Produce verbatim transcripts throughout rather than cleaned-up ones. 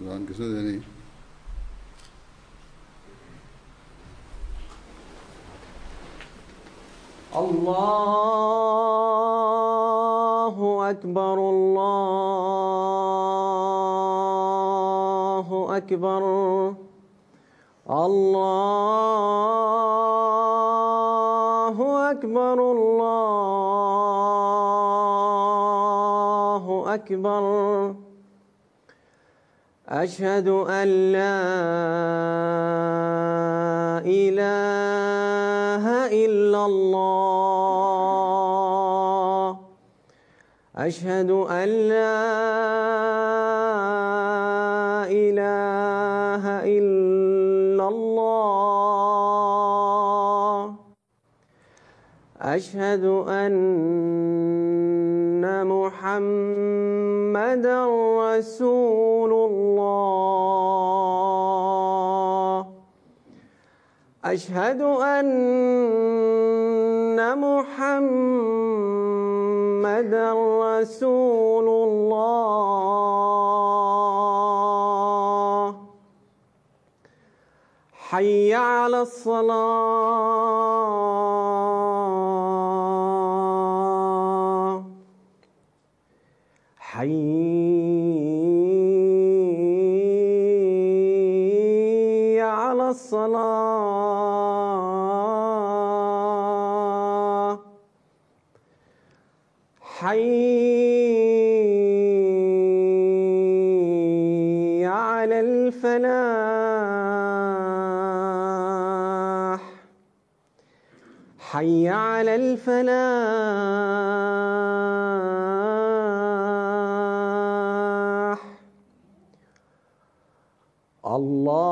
अजान किसने देनी? अल्लाहु अकबर अल्लाहु अकबर अल्लाहु अकबर अल्लाहु अकबर अशहदु अन ला इलाहा इल्लल्लाह अशहदु अन ला इलाहा इल्लल्लाह अशहदु अन्ना मुहम्मदन रसूलुल्लाह अशहदु अन्ना मुहम्मदन रसूलुल्लाह हय्या अलस्सलाह हय्या अलस्सलाह हय्या अलल फलाह हय्या अलल फलाह अल्लाहु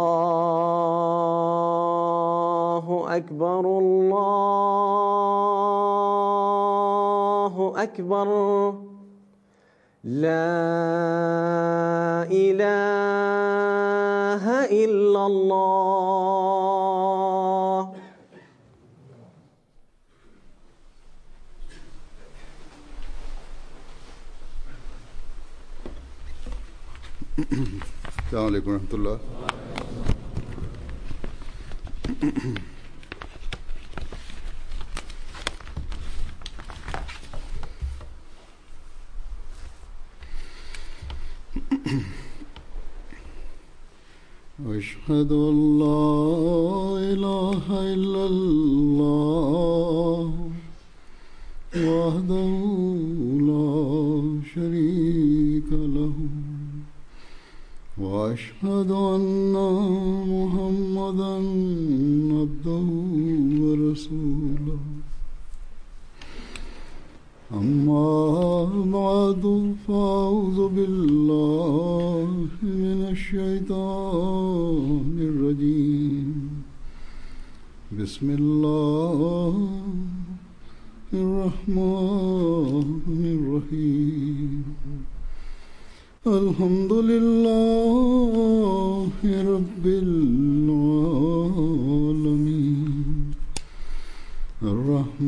अकबर अल्लाहु अकबर ला इलाहा इल्लल्लाह। अस्सलामु अलैकुम रहमतुल्लाह। अशहदु अन ला इलाहा इल्लल्लाह वहदहु ला शरीका लहु वअशहदु अन्ना मुहम्मदन अब्दुहु व रसूलुहु अम्मा बअदु फ़अऊज़ु बिल्लाहि मिनश शैतानिर रजीम बिस्मिल्लाहिर रहमानिर रहीम अल्हम्दुलिल्लाहि रब्बिल आलमीन अर्रहमानिर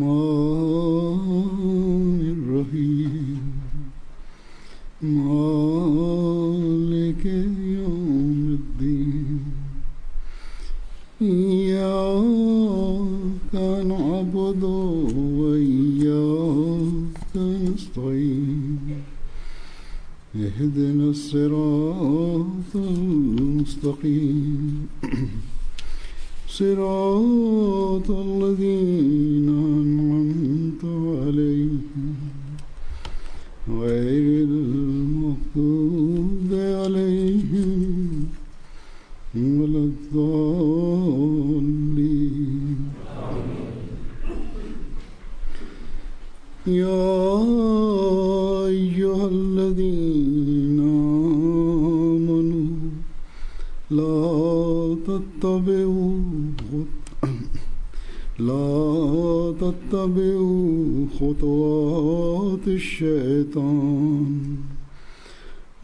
रहीम मालिकि यौमिद्दीन इय्याका नअबुदु व इय्याका नस्तईन इहदिना सिरातल मुस्तक़ीम सिरातल लज़ीना अन्अमता अलैहिम गैरिल मग़्दूबि अलैहिम वलद्दाल्लीन। या अय्युहल्लज़ीना आमनू ला तत्तबिउ ला तत्तबिउ खुतवातिश शैतान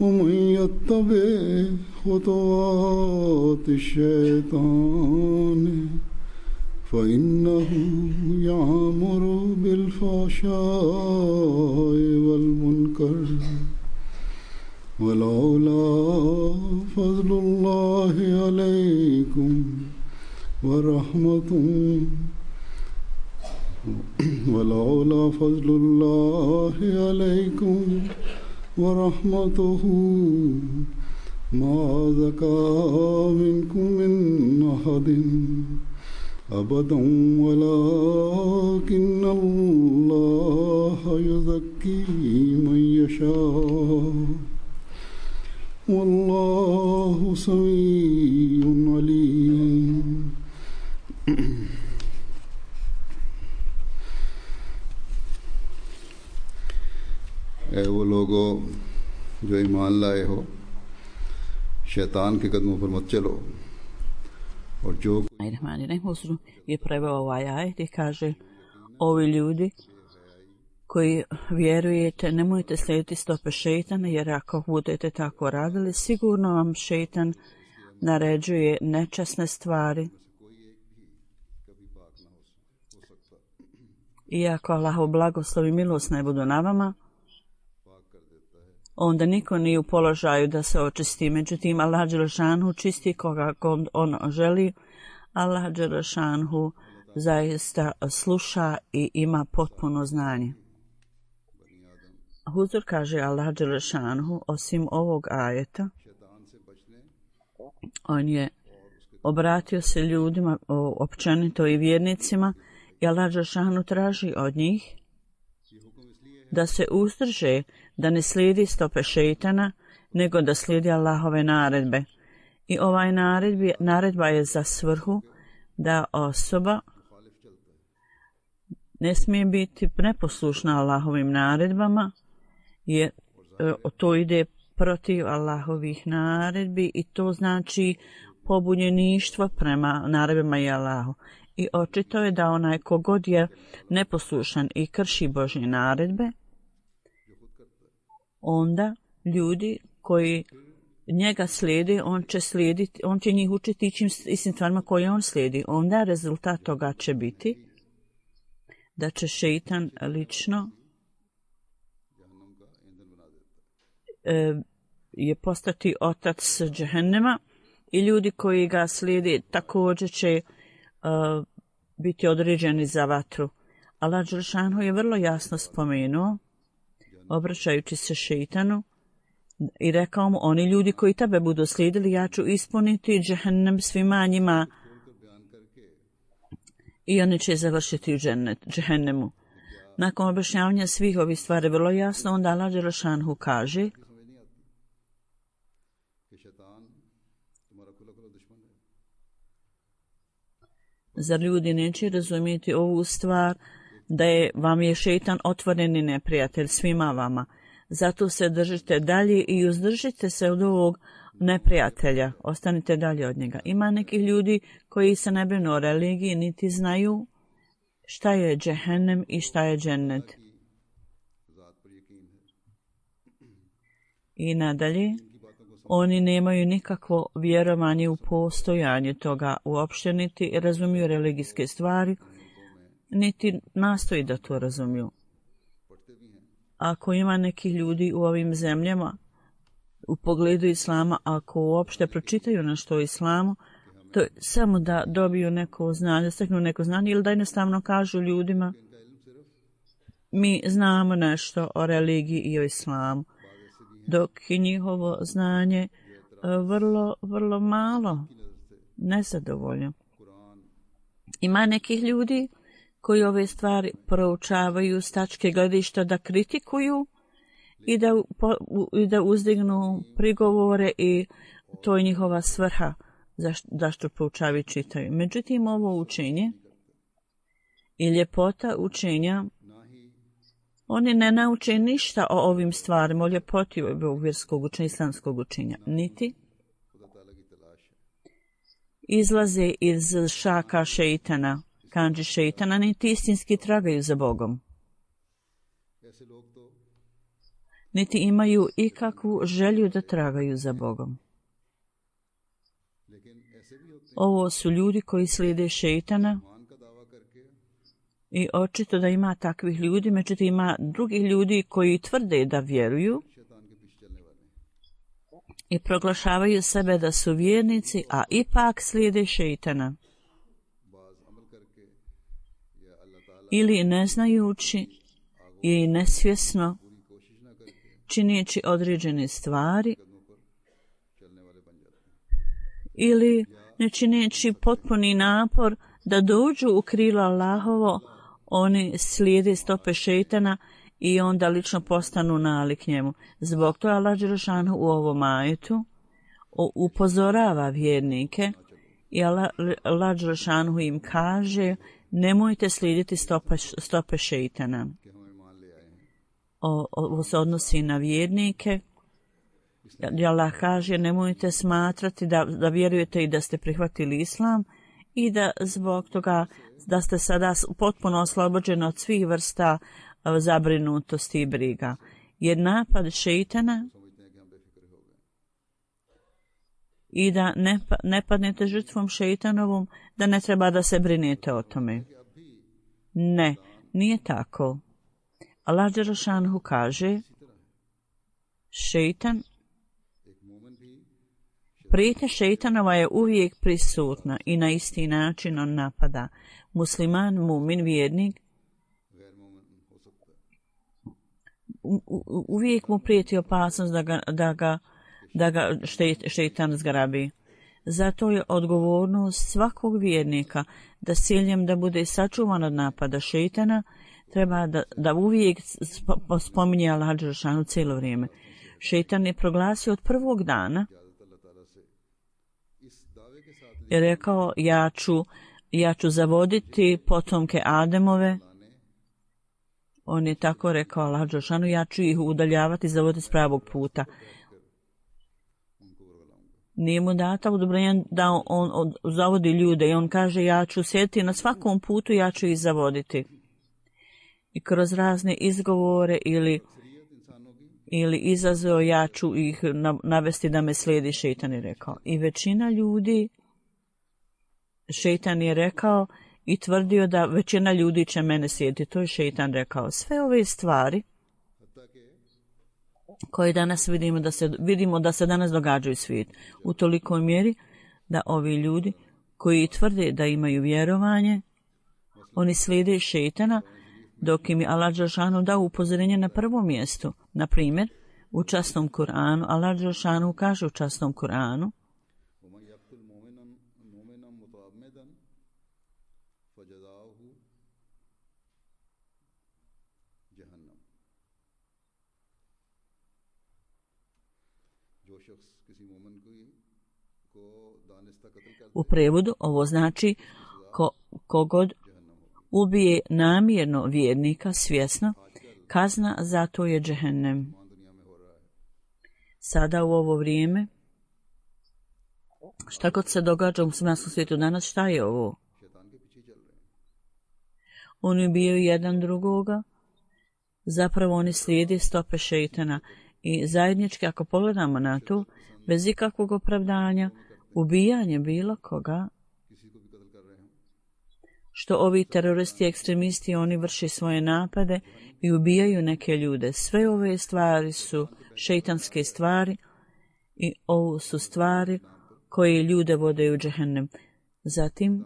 वमन यत्तबि खुतवातिश शैतान फ़इन्नहु यअमुरु बिलफ़हशाइ वल मुनकर वलौला فضل الله عليكم ورحمته ولولا فضل الله عليكم ورحمته ما زكى منكم من أحد أبدا ولكن الله يزكي من يشاء والله سميع عليم. اے وہ لوگو جو ایمان لائے ہو šetan ke kadmon par mat chalo और जो Huzur je preveo ovaj ajet i kaže: ovi ljudi koji vjerujete, nemojte slijediti stope šejtana, jer ako budete tako radili, sigurno vam šejtan naređuje nečasne stvari. Iako Allahov blagoslov i milost ne budu na vama, onda niko nije u položaju da se očisti. Međutim, Allah dželešanu čisti koga on želi. Allah dželešanu zaista sluša i ima potpuno znanje. Huzur kaže Allah dželešanu, osim ovog ajeta, on je obratio se ljudima općenito i vjernicima i Allah dželešanu traži od njih da se uzdrže, da ne slijedi stope šejtana, nego da slijedi Allahove naredbe. I ovaj naredbi, naredba je za svrhu da osoba ne smije biti neposlušna Allahovim naredbama, jer to ide protiv Allahovih naredbi i to znači pobunjeništvo prema naredbama i Allahu. I očito je da onaj kogod je neposlušan i krši Božje naredbe, onda ljudi koji njega slijede, on će slijediti, on će njih učiti ićim istim stvarima koje on slijedi. Onda rezultat toga će biti da će šejtan lično e, je postati otac džehennema i ljudi koji ga slijede također će e, biti određeni za vatru. Allah dželešanu je vrlo jasno spomenuo, obraćajući se šejtanu, i rekao mu: oni ljudi koji tebe budu slijedili, ja ću ispuniti džehennem svima njima i oni će završiti u džehennemu. Nakon objašnjavanja svih ovih stvari vrlo jasno, onda Allah dželešanu kaže: zar ljudi neće razumjeti ovu stvar, da je vam je šejtan otvoreni neprijatelj svima vama? Zato se držite dalje i uzdržite se od ovog neprijatelja. Ostanite dalje od njega. Ima nekih ljudi koji se ne brinu o religiji, niti znaju šta je džehennem i šta je džennet. I nadalje, oni nemaju nikakvo vjerovanje u postojanje toga uopšte, niti razumiju religijske stvari, niti nastoji da to razumiju. Ako ima nekih ljudi u ovim zemljama u pogledu islama, ako uopšte pročitaju nešto o islamu, to je samo da dobiju neko znanje, steknu neko znanje, ili da jednostavno kažu ljudima: mi znamo nešto o religiji i o islamu, dok je njihovo znanje vrlo, vrlo malo, nezadovoljno. Ima nekih ljudi koji ove stvari proučavaju s tačke gledišta da kritikuju i da, i da uzdignu prigovore, i to je njihova svrha zašto proučavaju i čitaju. Međutim, ovo učenje i ljepota učenja, oni ne nauče ništa o ovim stvarima, o ljepoti ovog vjerskog učenja, islamskog učenja, niti izlaze iz šaka šejtana, kanđi šejtana, niti istinski tragaju za Bogom, niti imaju ikakvu želju da tragaju za Bogom. Ovo su ljudi koji slijede šejtana i očito da ima takvih ljudi, međutim ima drugih ljudi koji tvrde da vjeruju i proglašavaju sebe da su vjernici, a ipak slijede šeitana. Ili ne znajući ili nesvjesno čineći određene stvari ili ne čineći potpuni napor da dođu u krilo Allahovo, oni slijede stope šeitana i onda lično postanu nalik njemu. Zbog toga Allah dželešanu u ovom ajetu upozorava vjernike i Allah, Allah dželešanu im kaže: nemojte slijediti stope, stope šeitana. O, ovo se odnosi na vjernike. Allah kaže: nemojte smatrati da, da vjerujete i da ste prihvatili islam i da zbog toga da ste sada potpuno oslobođeni od svih vrsta zabrinutosti i briga. Jer napad šeitana i da ne, ne padnete žrtvom šeitanovom, da ne treba da se brinete o tome. Ne, nije tako. Allah dželešanu kaže: šeitan, prijetnja šeitanova je uvijek prisutna i na isti način on napada. Musliman, mumin, vjernik, u, u, uvijek mu prijeti opasnost da ga, da ga, da ga šeitan zgrabi. Zato je odgovornost svakog vjernika da s ciljem da bude sačuvan od napada šeitana, treba da, da uvijek spominje Allah dželešanu cijelo vrijeme. Šeitan je proglasio od prvog dana i rekao: ja ću, ja ću zavoditi potomke Ademove. On je tako rekao Allah dželešanu: ja ću ih udaljavati i zavoditi s pravog puta. Nije mu data odobrenja da on, on, on zavodi ljude i on kaže: ja ću sjediti na svakom putu, ja ću ih zavoditi. I kroz razne izgovore ili, ili izazove ja ću ih navesti da me slijedi, šeitan je rekao. I većina ljudi, šeitan je rekao i tvrdio da većina ljudi će mene slijediti. To je šeitan rekao. Sve ove stvari koje danas vidimo da se, vidimo da se danas događaju u svijetu, u tolikoj mjeri da ovi ljudi koji tvrde da imaju vjerovanje, oni slijede šeitana, dok im je Allah dželešanu dao upozorenje na prvom mjestu. Na primjer, u časnom Kur'anu, Allah dželešanu kaže u časnom Kur'anu: u prevodu ovo znači ko, kogod ubije namjerno vjernika svjesno, kazna za to je džehennem. Sada u ovo vrijeme, šta god se događa u muslimanskom svijetu danas, šta je ovo? Oni ubijaju jedan drugoga, zapravo oni slijede stope šeitana i zajednički, ako pogledamo na to, bez ikakvog opravdanja, ubijanje bilo koga, što ovi teroristi, ekstremisti, oni vrši svoje napade i ubijaju neke ljude. Sve ove stvari su šeitanske stvari i ovo su stvari koje ljude vode u džehennem. Zatim,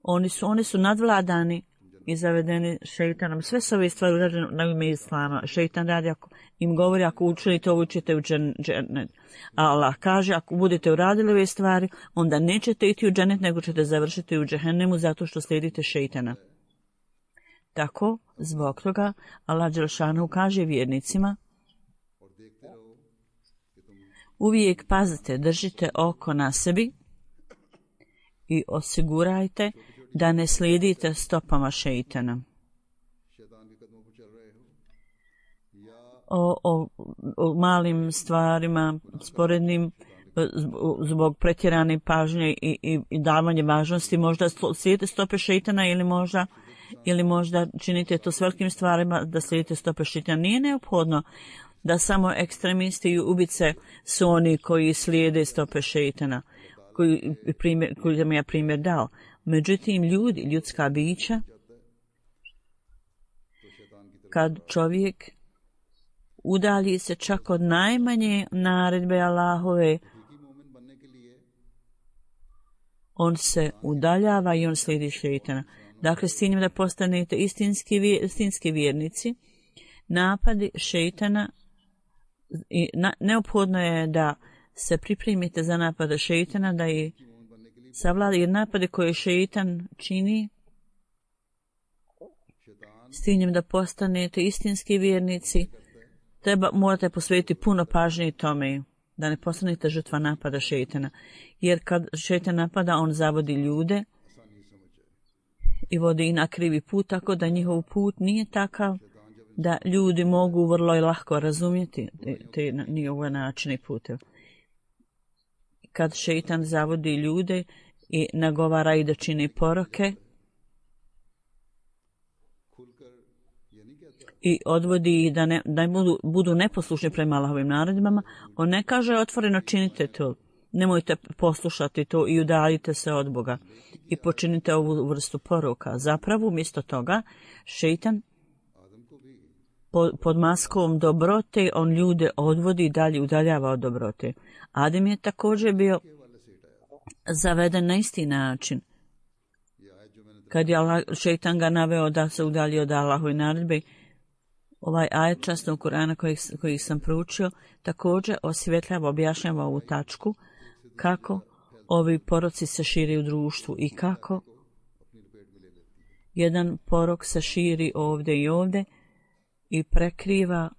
oni su, oni su nadvladani i zavedeni šeitanom. Sve su ove stvari urađene na ime islama. Šeitan radi, ako im govori: ako učinite ovo, učite u džennet. A Allah kaže: ako budete uradili ove stvari, onda nećete iti u džennet, nego ćete završiti u džehennemu zato što slijedite šeitana. Tako, zbog toga, Allah dželešanu kaže vjernicima: uvijek pazite, držite oko na sebi i osigurajte da ne slijedite stopama šeitana. O, o, o malim stvarima, sporednim, zbog pretjerane pažnje i, i, i davanje važnosti, možda slijedite stope šeitana ili možda, ili možda činite to s velikim stvarima da slijedite stope šeitana. Nije neophodno da samo ekstremisti i ubice su oni koji slijede stope šeitana, koji, primjer, koji sam ja primjer dao. Međutim, ljudi, ljudska bića, kad čovjek udalji se čak od najmanje naredbe Allahove, on se udaljava i on slijedi šejtana. Dakle, s ciljem da postanete istinski, istinski vjernici, napadi šejtana, i na, neophodno je da se pripremite za napade šejtana, da je savlada, jer napade koje šejtan čini, s ciljem da postanete istinski vjernici, treba, morate posvetiti puno pažnje tome, da ne postanete žrtva napada šejtana. Jer kad šejtan napada, on zavodi ljude i vodi ih na krivi put, tako da njihov put nije takav da ljudi mogu vrlo i lahko razumjeti te, te njihove načine i puteve. Kad šejtan zavodi ljude i nagovara i da čini poroke i odvodi ih da ne, da budu, budu neposlušni prema Allahovim naredbama, on ne kaže otvoreno činite to, nemojte poslušati to i udaljite se od Boga i počinite ovu vrstu poroka. Zapravo, umjesto toga, šejtan pod, pod maskom dobrote, on ljude odvodi i dalje udaljava od dobrote. Adem je također bio zaveden na isti način. Kad je Allah, šejtan ga naveo da se udalji od Allahove naredbe, ovaj ajet časnog Kur'ana koji, koji sam proučio također osvjetljava, objašnjava ovu tačku, kako ovi poroci se širi u društvu i kako jedan porok se širi ovdje i ovdje i prekriva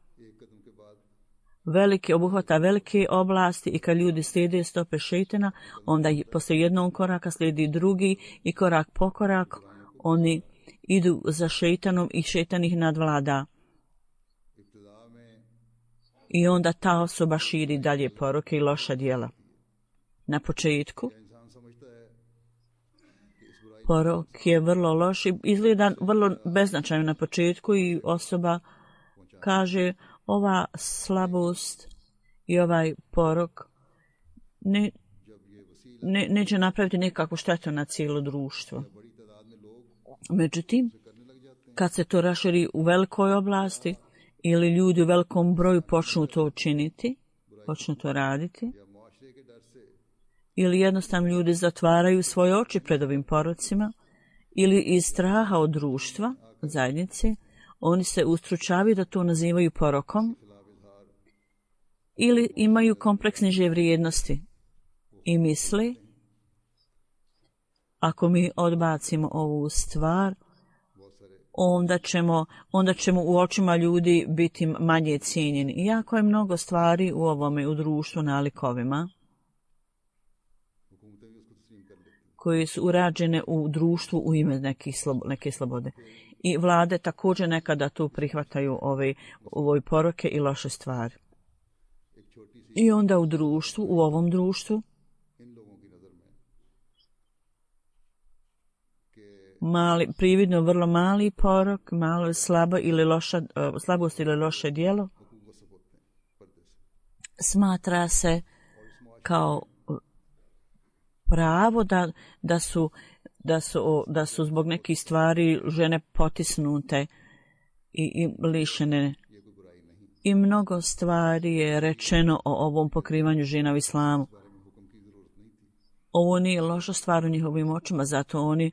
velike, obuhvata velike oblasti, i kad ljudi slijede stope šejtana, onda poslije jednog koraka slijedi drugi i korak po korak oni idu za šejtanom i šejtan ih nadvlada. I onda ta osoba širi dalje poroke i loša djela. Na početku porok je vrlo loš i izgleda vrlo beznačajno na početku i osoba kaže ova slabost i ovaj porok ne, ne, neće napraviti nikakvu štetu na cijelo društvo. Međutim, kad se to raširi u velikoj oblasti ili ljudi u velikom broju počnu to činiti, počnu to raditi, ili jednostavno ljudi zatvaraju svoje oči pred ovim porocima, ili iz straha od društva, od zajednice, oni se ustručavaju da to nazivaju porokom, ili imaju kompleks niže vrijednosti i misle, ako mi odbacimo ovu stvar, onda ćemo, onda ćemo u očima ljudi biti manje cijenjeni. Iako je mnogo stvari u ovome, u društvu, nalikovima, koje su urađene u društvu u ime nekih slobo, neke slobode. I vlade također nekada tu prihvataju ove, ove poroke i loše stvari. I onda u društvu, u ovom društvu, mali, prividno vrlo mali porok, malo slabo ili loša, slabost ili loše djelo, smatra se kao pravo da, da, su, da, su, da su zbog nekih stvari žene potisnute i, i lišene. I mnogo stvari je rečeno o ovom pokrivanju žena u islamu. Ovo nije loša stvar u njihovim očima, zato oni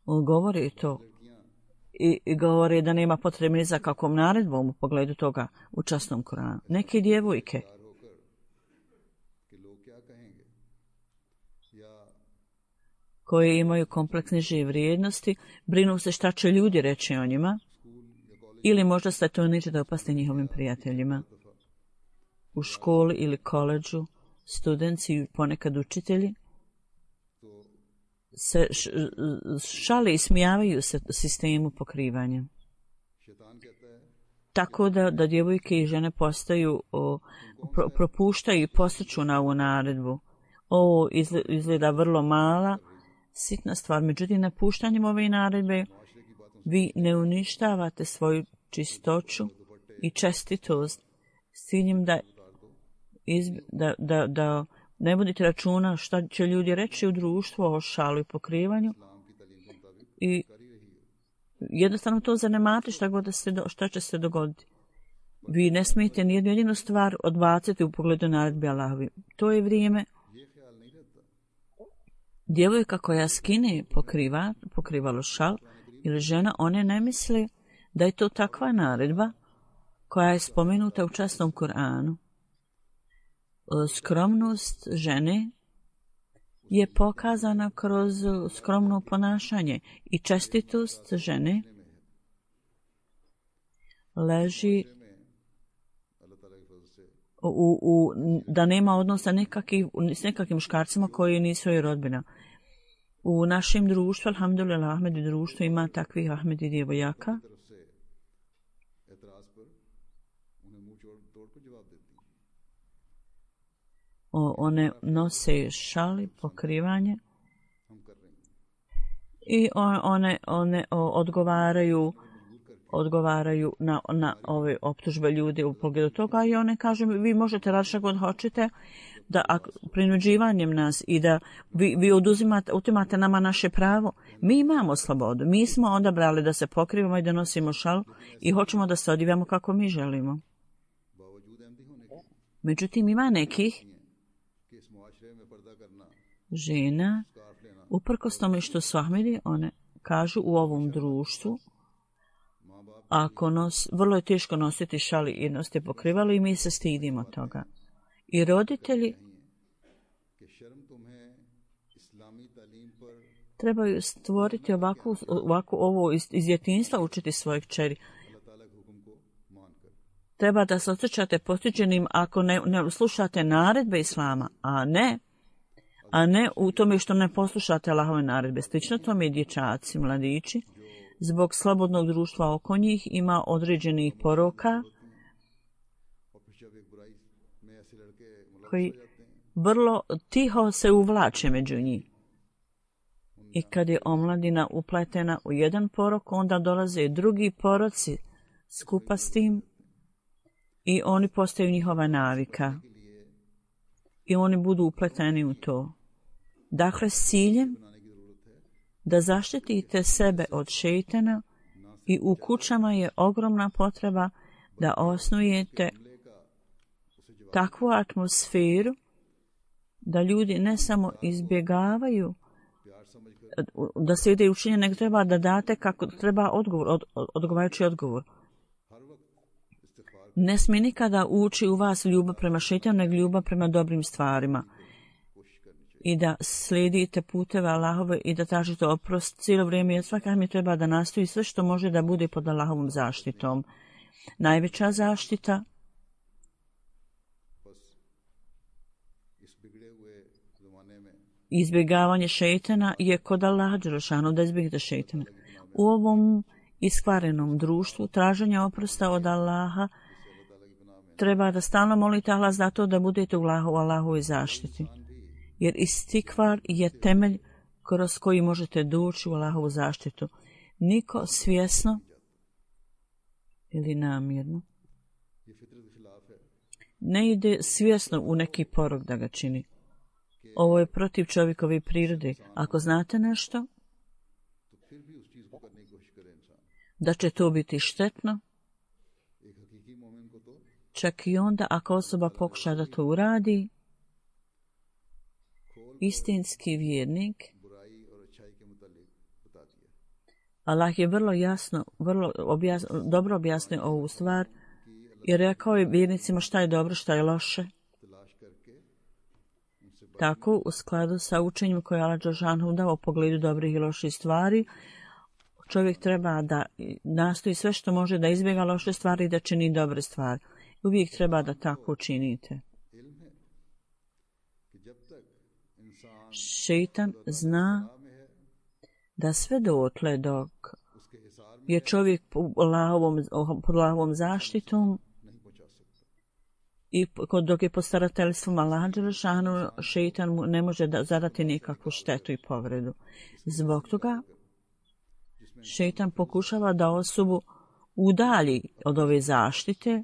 govore to. I, i govore da nema potrebe ni za kakvom naredbom u pogledu toga u časnom Kuranu. Neke djevojke koje imaju kompleks niže vrijednosti, brinu se šta će ljudi reći o njima, ili možda se to neće da opasti njihovim prijateljima. U školi ili koledžu, studenti, ponekad učitelji, se šale i smijavaju se sistemu pokrivanja. Tako da, da djevojke i žene postaju, o, pro, propuštaju i postiču na ovu naredbu. Ovo izgleda vrlo mala, sitna stvar. Međutim, napuštanjem ove naredbe vi ne uništavate svoju čistoću i čestitost s ciljem da, iz, da, da, da ne vodite računa šta će ljudi reći u društvu o šalu i pokrivanju i jednostavno to zanemate šta, god da se, šta će se dogoditi. Vi ne smijete nijednu jedinu stvar odbaciti u pogledu naredbe Allahovi. To je vrijeme djevojka koja skine pokriva, pokrivalo šal ili žena, one ne misle da je to takva naredba koja je spomenuta u časnom Kur'anu. Skromnost žene je pokazana kroz skromno ponašanje i čestitost žene leži u, u, da nema odnosa nekakvi, s nekakvim muškarcima koji nisu joj rodbina. U našem društvu, alhamdulillah, Ahmedi društvu ima takvih Ahmedi djevojaka. O, one nose šali, pokrivanje i one, one o, odgovaraju odgovaraju na, na ove optužbe ljudi u pogledu toga i one kažu vi možete raditi što god hoćete, da ako, prinuđivanjem nas i da vi, vi oduzimate, utimate nama naše pravo. Mi imamo slobodu, mi smo odabrali da se pokrivamo i da nosimo šal i hoćemo da se odivamo kako mi želimo. Međutim, ima nekih žena, uprkos tome što su Ahmedi, one kažu u ovom društvu, ako nos, vrlo je teško nositi šali i nositi pokrivalo i mi se stidimo toga. I roditelji trebaju stvoriti ovako, ovako ovo iz, iz djetinjstva, učiti svoje kćeri. Treba da se osjećate postiđenim ako ne, ne slušate naredbe Islama, a ne a ne u tome što ne poslušate Allahove naredbe. Slično tome i dječaci, mladići, zbog slobodnog društva oko njih ima određenih poroka koji vrlo tiho se uvlače među njih. I kad je omladina upletena u jedan porok, onda dolaze drugi poroci skupa s tim i oni postaju njihova navika. I oni budu upleteni u to. Dakle, s ciljem da zaštitite sebe od šejtana i u kućama je ogromna potreba da osnujete takvu atmosferu da ljudi ne samo izbjegavaju da se ide učinje, nego treba da date kako treba odgovor, od, od, odgovarajući odgovor. Ne smije nikada ući u vas ljubav prema šejtanu, nego ljubav prema dobrim stvarima. I da slijedite puteve Allahove i da tražite oprost cijelo vrijeme, jer svaka mi treba da nastoji sve što može da bude pod Allahovom zaštitom. Najveća zaštita izbjegavanje šejtana je kod Allaha dželešanu, da izbjegnete šejtana. U ovom iskvarenom društvu traženja oprosta od Allaha treba da stalno molite Allah za to da budete u Allahovoj zaštiti. Jer istikvar je temelj kroz koji možete doći u Allahovu zaštitu. Niko svjesno ili namjerno ne ide svjesno u neki porok da ga čini. Ovo je protiv čovjekove prirode. Ako znate nešto, da će to biti štetno, čak i onda ako osoba pokuša da to uradi, istinski vjernik, Allah je vrlo jasno, vrlo objasno, dobro objasnio ovu stvar i rekao je vjernicima šta je dobro, šta je loše. Tako, u skladu sa učenjem koje je Allah dželešanu dao u pogledu dobrih i loših stvari, čovjek treba da nastoji sve što može da izbjega loše stvari i da čini dobre stvari. Uvijek treba da tako činite. Šejtan zna da sve dotle dok je čovjek pod Allahovom zaštitom i dok je pod starateljstvom Allaha dželešanu, šejtan mu ne može da zadati nikakvu štetu i povredu. Zbog toga šejtan pokušava da osobu udalji od ove zaštite,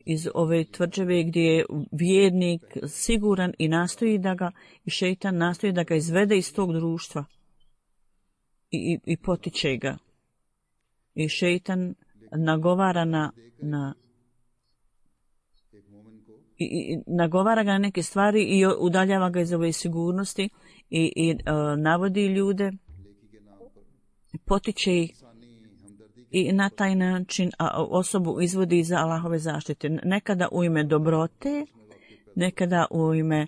iz ove tvrđave gdje je vjernik siguran i nastoji da ga, i šejtan nastoji da ga izvede iz tog društva i, i, i potiče ga. I šejtan nagovara na, na i, i nagovara ga na neke stvari i udaljava ga iz ove sigurnosti i, i uh, navodi ljude, potiče ih i na taj način a, osobu izvodi za Allahove zaštite. Nekada u ime dobrote, nekada u ime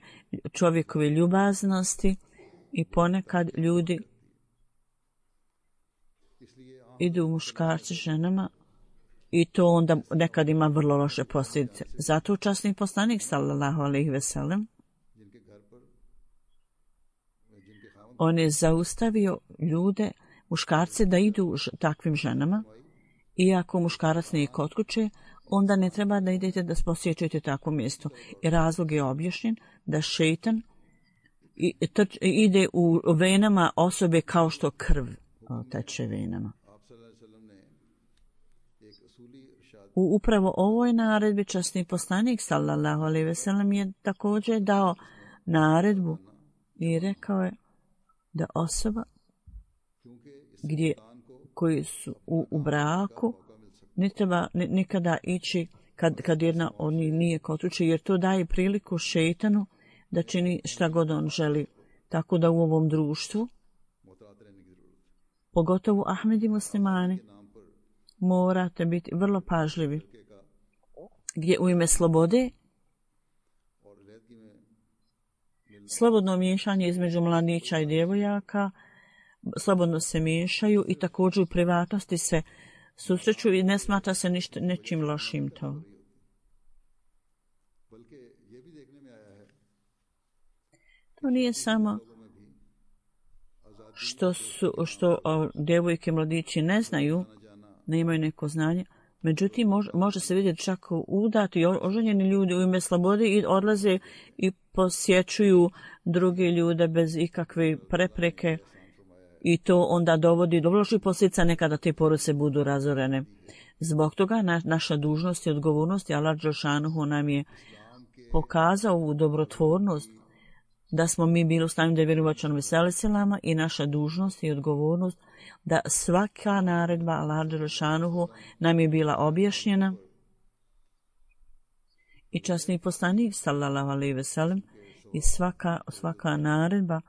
čovjekove ljubaznosti i ponekad ljudi idu muškarci ženama i to onda nekad ima vrlo loše posljedice. Zato časni poslanik sallallahu alejhi ve sellem on je zaustavio ljude, muškarce da idu ž, takvim ženama i ako muškarac nije kod kuće, onda ne treba da idete da posjećujete takvo mjesto. I razlog je objašnjen da šejtan i, trč, ide u venama osobe kao što krv teče venama. U upravo ovoj naredbi časni poslanik sallallahu alejhi ve sellem je također dao naredbu i rekao je da osoba gdje koji su u, u braku ne treba nikada ići kad, kad jedna od njih nije kod kuće, jer to daje priliku šejtanu da čini šta god on želi. Tako da u ovom društvu, pogotovo Ahmedi muslimani, morate biti vrlo pažljivi. Gdje u ime slobode, slobodno miješanje između mladića i djevojaka, slobodno se miješaju i također u privatnosti se susreću i ne smatra se ništa, nečim lošim to. To nije samo što, su, što o, djevojke mladići ne znaju, ne imaju neko znanje, međutim može, može se vidjeti čak udati oženjeni ljudi u ime slobode i odlaze i posjećuju druge ljude bez ikakve prepreke i to onda dovodi do loših posljedica, nekada te porodice budu razorene. Zbog toga na, naša dužnost i odgovornost, Allah dželšanuhu nam je pokazao u dobrotvornost da smo mi bili u stanju da vjerujemo članovima seliselama i naša dužnost i odgovornost da svaka naredba Allah dželšanuhu nam je bila objašnjena i časni poslanik sallallahu alejhi ve sellem i svaka, svaka naredba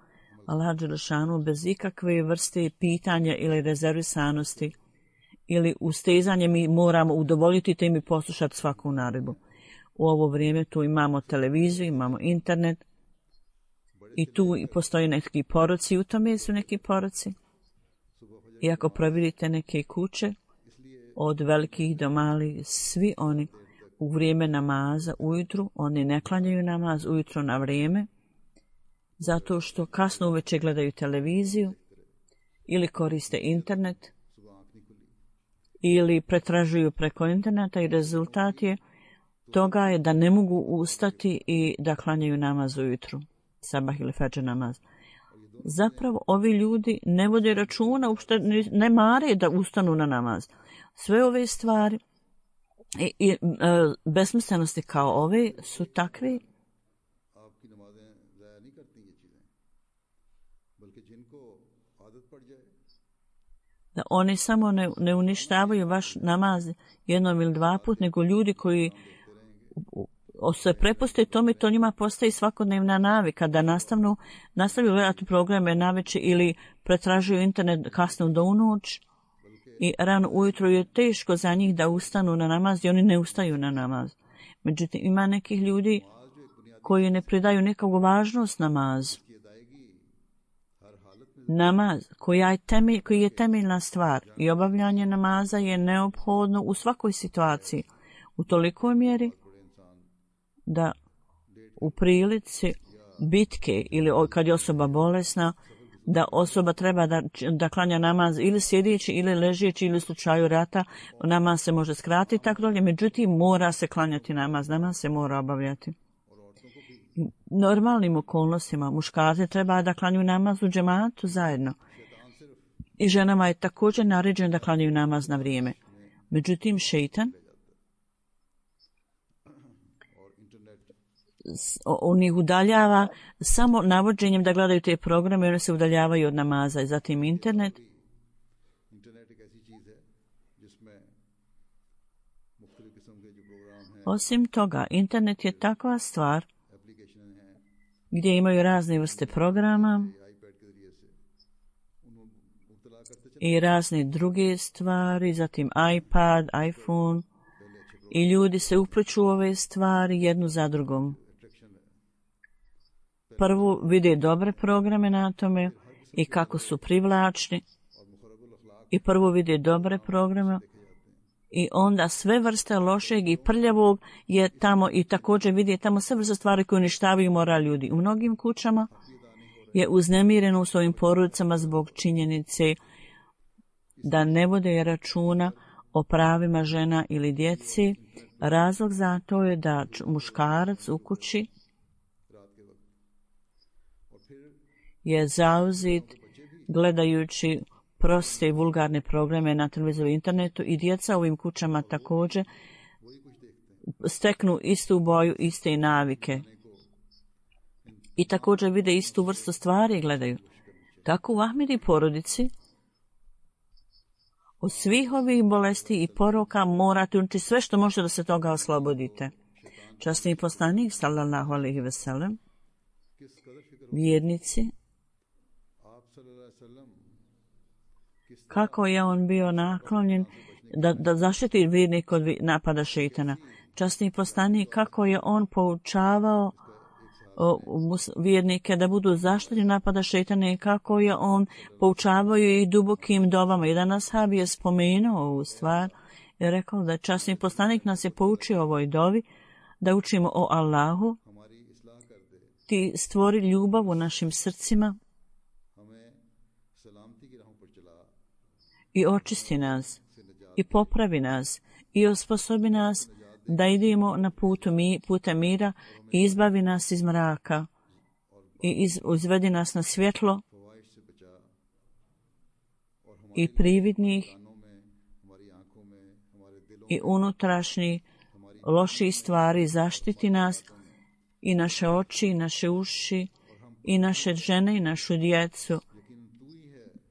Allah dželšanuhu bez ikakve vrste pitanja ili rezervisanosti ili ustezanje mi moramo udovoljiti te mi poslušati svaku naredbu. U ovo vrijeme tu imamo televiziju, imamo internet i tu postoje neki poroci, u tome su neki poroci. I ako providite neke kuće, od velikih do malih, svi oni u vrijeme namaza ujutru, oni ne klanjaju namaz ujutro na vrijeme, zato što kasno uveče gledaju televiziju ili koriste internet ili pretražuju preko interneta i rezultat je toga je da ne mogu ustati i da klanjaju namaz ujutru, sabah ili fadž namaz. Zapravo ovi ljudi ne vode računa, uopšte ne mare da ustanu na namaz. Sve ove stvari i, i e, besmislenosti kao ove su takve da oni samo ne, ne uništavaju vaš namaz jednom ili dva put, nego ljudi koji se prepuste tome, to njima postaje svakodnevna navika da nastavnu, nastavljaju gledati programe naveče ili pretražuju internet kasno do unoć i rano ujutro je teško za njih da ustanu na namaz i oni ne ustaju na namaz. Međutim, ima nekih ljudi koji ne pridaju nikakvu važnost namazu. Namaz koja je temelj, koji je temeljna stvar i obavljanje namaza je neophodno u svakoj situaciji u tolikoj mjeri da u prilici bitke ili kad je osoba bolesna, da osoba treba da, da klanja namaz ili sjedeći ili ležeći ili u slučaju rata, namaz se može skratiti tako dalje, međutim mora se klanjati namaz, namaz se mora obavljati. Normalnim okolnostima muškarci treba da klanjaju namaz u džematu zajedno i ženama je također naređeno da klanjaju namaz na vrijeme. Međutim, šejtan on ih udaljava samo navođenjem da gledaju te programe, oni se udaljavaju od namaza i zatim internet. Osim toga, internet je takva stvar gdje imaju razne vrste programa i razne druge stvari, zatim iPad, iPhone, i ljudi se upliču u ove stvari jednu za drugom. Prvo vide dobre programe na tome i kako su privlačni, i prvo vide dobre programe i onda sve vrste lošeg i prljavog je tamo, i također vidi tamo sve vrste stvari koje uništavaju moral ljudi. U mnogim kućama je uznemireno u svojim porodicama zbog činjenice da ne vode računa o pravima žena ili djeci. Razlog za to je da muškarac u kući je zauzet gledajući proste i vulgarne programe na televiziju i internetu, i djeca u ovim kućama također steknu istu boju, iste navike i također vide istu vrstu stvari i gledaju. Tako u Ahmedi porodici od svih ovih bolesti i poroka morate učiniti sve što možete da se toga oslobodite. Časni poslanik sallallahu alejhi ve sellem, vjernici, kako je on bio naklonjen da, da zaštiti vjernik od napada šejtana. Časni poslanik, kako je on poučavao o, vjernike da budu zaštićeni napada šejtana i kako je on poučavao i dubokim dovama. Jedan ashab je spomenuo ovu stvar i rekao da časni poslanik nas je poučio ovoj dovi da učimo o Allahu, ti stvori ljubav u našim srcima i očisti nas i popravi nas i osposobi nas da idemo na putu mi, puta mira i izbavi nas iz mraka i iz, izvedi nas na svjetlo i prividnih i unutrašnjih loših stvari, zaštiti nas i naše oči, i naše uši, i naše žene, i našu djecu.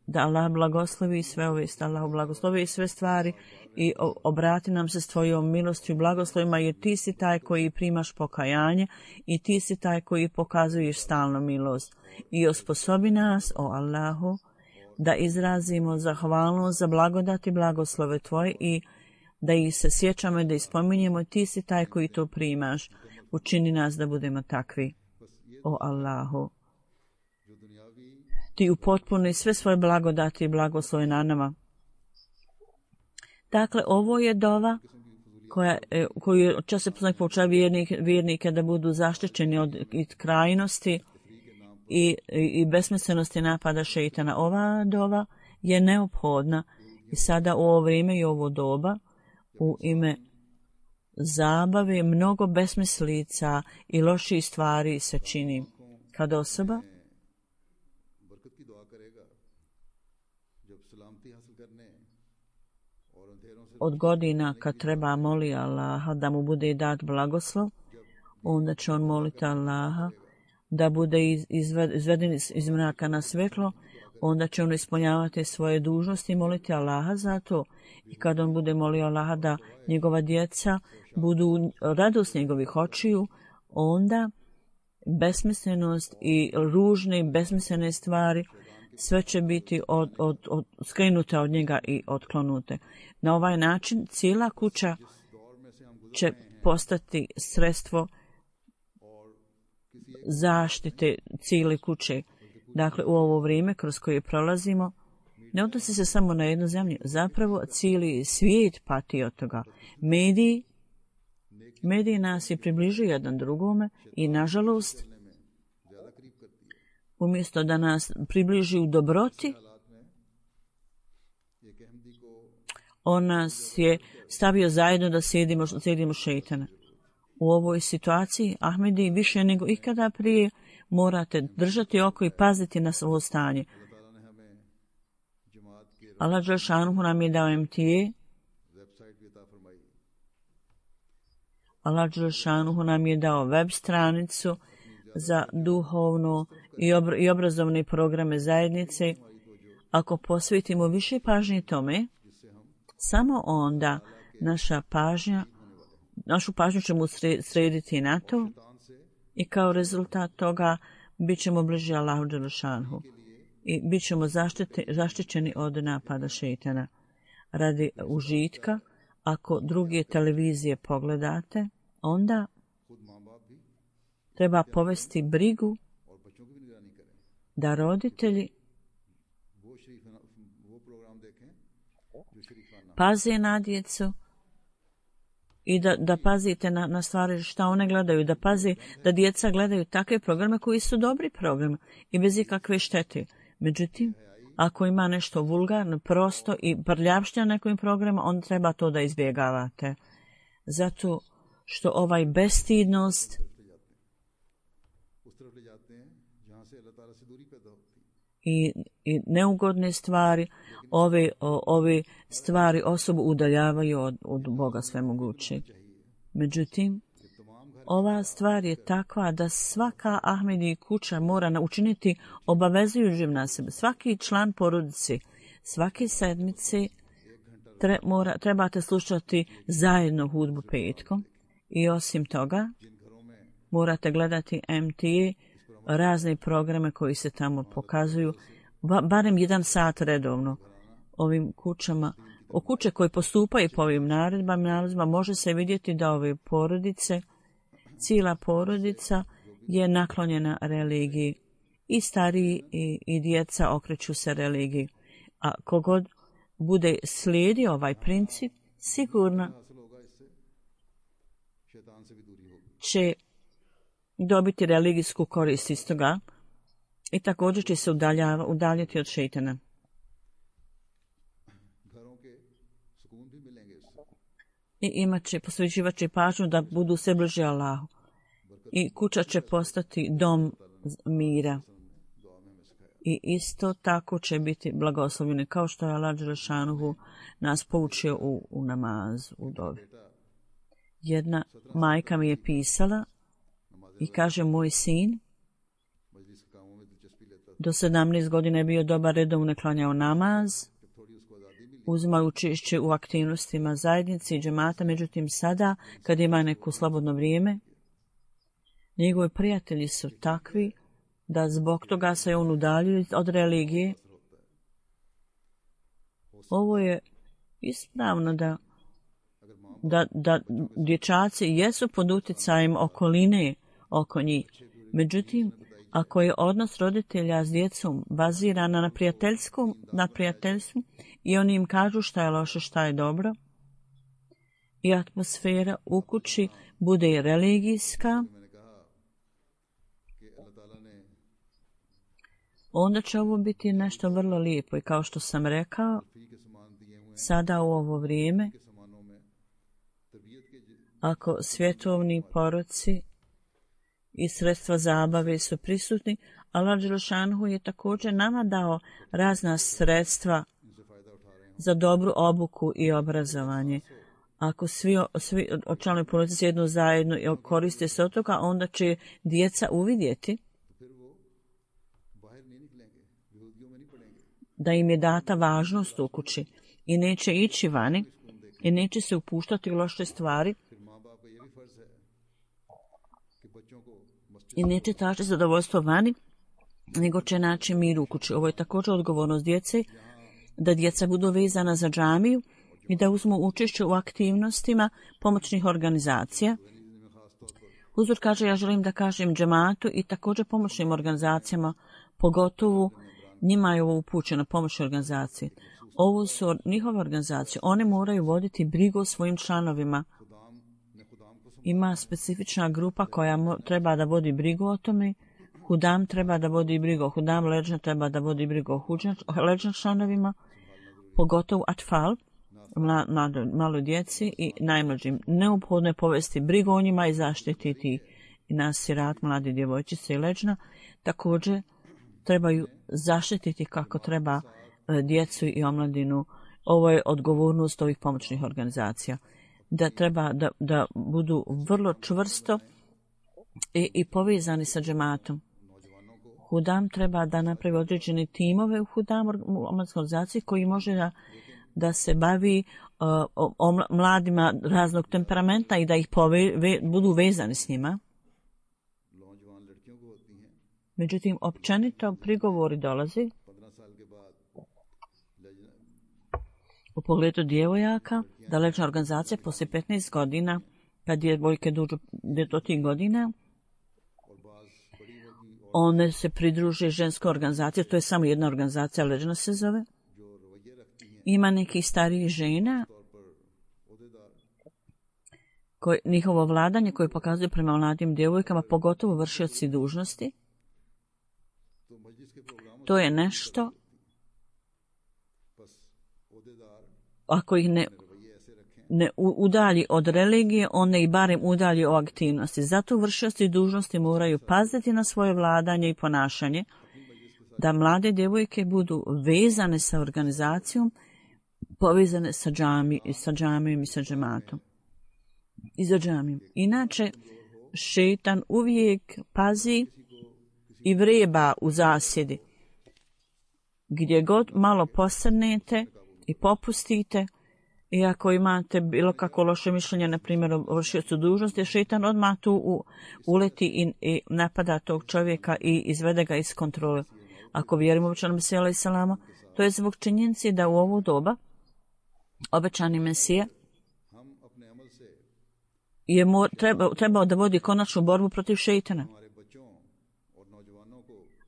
Da Allah blagoslovi sve ove, da Allah blagoslovi sve stvari i obrati nam se s tvojom milošću i blagoslovima, jer ti si taj koji primaš pokajanje i ti si taj koji pokazuješ stalnu milost. I osposobi nas, o Allahu, da izrazimo zahvalnost za blagodati blagoslove tvoje i da ih se sjećamo i da ih spominjemo. Ti si taj koji to primaš. Učini nas da budemo takvi, o Allahu. Ti upotpuni sve svoje blagodati i blagoslove na nama. Dakle, ovo je dova koja, koju čas se poslanik poučava vjernike, vjernike da budu zaštićeni od krajnosti i, i besmislenosti napada šejtana. Ova dova je neophodna i sada u ovo vrijeme i ovo doba u ime zabave mnogo besmislica i loših stvari se čini. Kad osoba od godina kad treba moli Allaha da mu bude dat blagoslov, onda će on moliti Allaha da bude izveden iz mraka na svjetlo, onda će on ispunjavati svoje dužnosti i moliti Allaha za to. I kad on bude molio Allaha da njegova djeca budu radost njegovih očiju, onda besmislenost i ružne i besmislene stvari sve će biti od, od, od, skrenute od njega i otklonute. Na ovaj način cijela kuća će postati sredstvo zaštite cijele kuće. Dakle, u ovo vrijeme kroz koje prolazimo, ne odnosi se samo na jednu zemlju. Zapravo, cijeli svijet pati od toga. Mediji, mediji nas je približuju jedan drugome i, nažalost, umjesto da nas približi u dobroti, on nas je stavio zajedno da sjedimo, sjedimo šejtana. U ovoj situaciji, Ahmedi, više nego ikada prije, morate držati oko i paziti na svoje stanje. Allah dželšanuhu nam je dao em te a. Allah dželšanuhu nam je dao web stranicu za duhovno i, obr- i obrazovne programe zajednice. Ako posvetimo više pažnje tome, samo onda naša pažnja našu pažnju ćemo srediti na to i kao rezultat toga bit ćemo bliži Allahu dželešanhu i bit ćemo zaštićeni od napada šeitana. Radi užitka, ako druge televizije pogledate, onda treba povesti brigu da roditelji paze na djecu i da, da pazite na, na stvari šta one gledaju, da pazi da djeca gledaju takve programe koji su dobri programi i bez ikakve štete. Međutim, ako ima nešto vulgarno, prosto i prljavština nekim programima, onda treba to da izbjegavate. Zato što ovaj bestidnost i, i neugodne stvari, ove, o, ove stvari osobu udaljavaju od, od Boga svemogućeg. Međutim, ova stvar je takva da svaka Ahmedi kuća mora učiniti obavezujući na sebe. Svaki član porodice, svake sedmice tre, mora, trebate slušati zajedno hudbu petkom i osim toga morate gledati M T A, razne programe koji se tamo pokazuju, barem jedan sat redovno. Ovim kućama, o kuće koje postupaju po ovim naredbama, naredbama može se vidjeti da ove porodice, cijela porodica je naklonjena religiji. I stariji i, i djeca okreću se religiji. A kogod bude slijedio ovaj princip, sigurno će dobiti religijsku korist iz toga i također će se udaljiti od šeitana. I imat će, posvećivat će pažnju da budu sve bliže Allahu. I kuća će postati dom mira. I isto tako će biti blagoslovljeni, kao što je Allah dželešanuhu nas poučio u, u namazu, u dovi. Jedna majka mi je pisala i kaže, moj sin do sedamnaest godina je bio dobar, redovno klanjao namaz, uzimao učešće u aktivnostima zajednice i džemata, međutim sada, kad ima neko slobodno vrijeme, njegovi prijatelji su takvi da zbog toga se on udaljuje od religije. Ovo je ispravno da, da, da dječaci jesu pod utjecajem okoline oko njih. Međutim, ako je odnos roditelja s djecom baziran na prijateljskom, na prijateljstvu i oni im kažu šta je loše, šta je dobro, i atmosfera u kući bude religijska, onda će ovo biti nešto vrlo lijepo. I kao što sam rekao, sada u ovo vrijeme, ako svjetovni poroci i sredstva zabave su prisutni, Allah dželešanuhu je također nama dao razna sredstva za dobru obuku i obrazovanje. Ako svi, svi članovi porodice sjednu zajedno i koriste se od toga, onda će djeca uvidjeti da im je data važnost u kući i neće ići vani i neće se upuštati u loše stvari i neće tražiti zadovoljstvo vani, nego će naći mir u kući. Ovo je također odgovornost djece, da djeca budu vezana za džamiju i da uzmu učešće u aktivnostima pomoćnih organizacija. Huzur kaže, ja želim da kažem džematu i također pomoćnim organizacijama, pogotovo njima je ovo upućeno, pomoćne organizacije. Ovo su njihove organizacije, one moraju voditi brigu o svojim članovima. Ima specifična grupa koja mo- treba da vodi brigu o tome. Hudam treba da vodi brigu o Hudam, Leđna treba da vodi brigu o Leđna članovima, pogotovo Atfal, mlado, malo djeci i najmlađim. Neophodno je povesti brigu o njima i zaštititi i nasirat, mladi djevojčice i Leđna. Također trebaju zaštititi kako treba djecu i omladinu. Ovo je odgovornost ovih pomoćnih organizacija. Da treba da, da budu vrlo čvrsto i, i povezani sa džematom. Hudam treba da napravi određene timove u Hudam organizaciji koji može da, da se bavi uh, o, o mladima raznog temperamenta i da ih pove, ve, budu vezani s njima. Međutim, općenito prigovori dolazi u pogledu djevojaka, da lečna organizacija poslije petnaest godina, kad djevojke dođu do tih godina, one se pridruže ženskoj organizaciji, to je samo jedna organizacija, leđna se zove. Ima nekih starijih žena, koji, njihovo vladanje koje pokazuje prema mladim djevojkama, pogotovo vršioci dužnosti. To je nešto, ako ih ne, ne udalji od religije, on ne i barem udalji od aktivnosti. Zato vršioci dužnosti moraju paziti na svoje vladanje i ponašanje, da mlade djevojke budu vezane sa organizacijom, povezane sa džami, sa džamijom i sa džematom. I za džamijom. Inače, šeitan uvijek pazi i vreba u zasjedi. Gdje god malo posrnete i popustite, i ako imate bilo kako loše mišljenje, na primjer o vršiocu dužnosti, šeitan odmah tu u, uleti i, i napada tog čovjeka i izvede ga iz kontrole. Ako vjerimo u obećanog Mesija alejhi selama, to je zbog činjenice da u ovo doba obećani Mesija je mor, treba, trebao da vodi konačnu borbu protiv šeitana.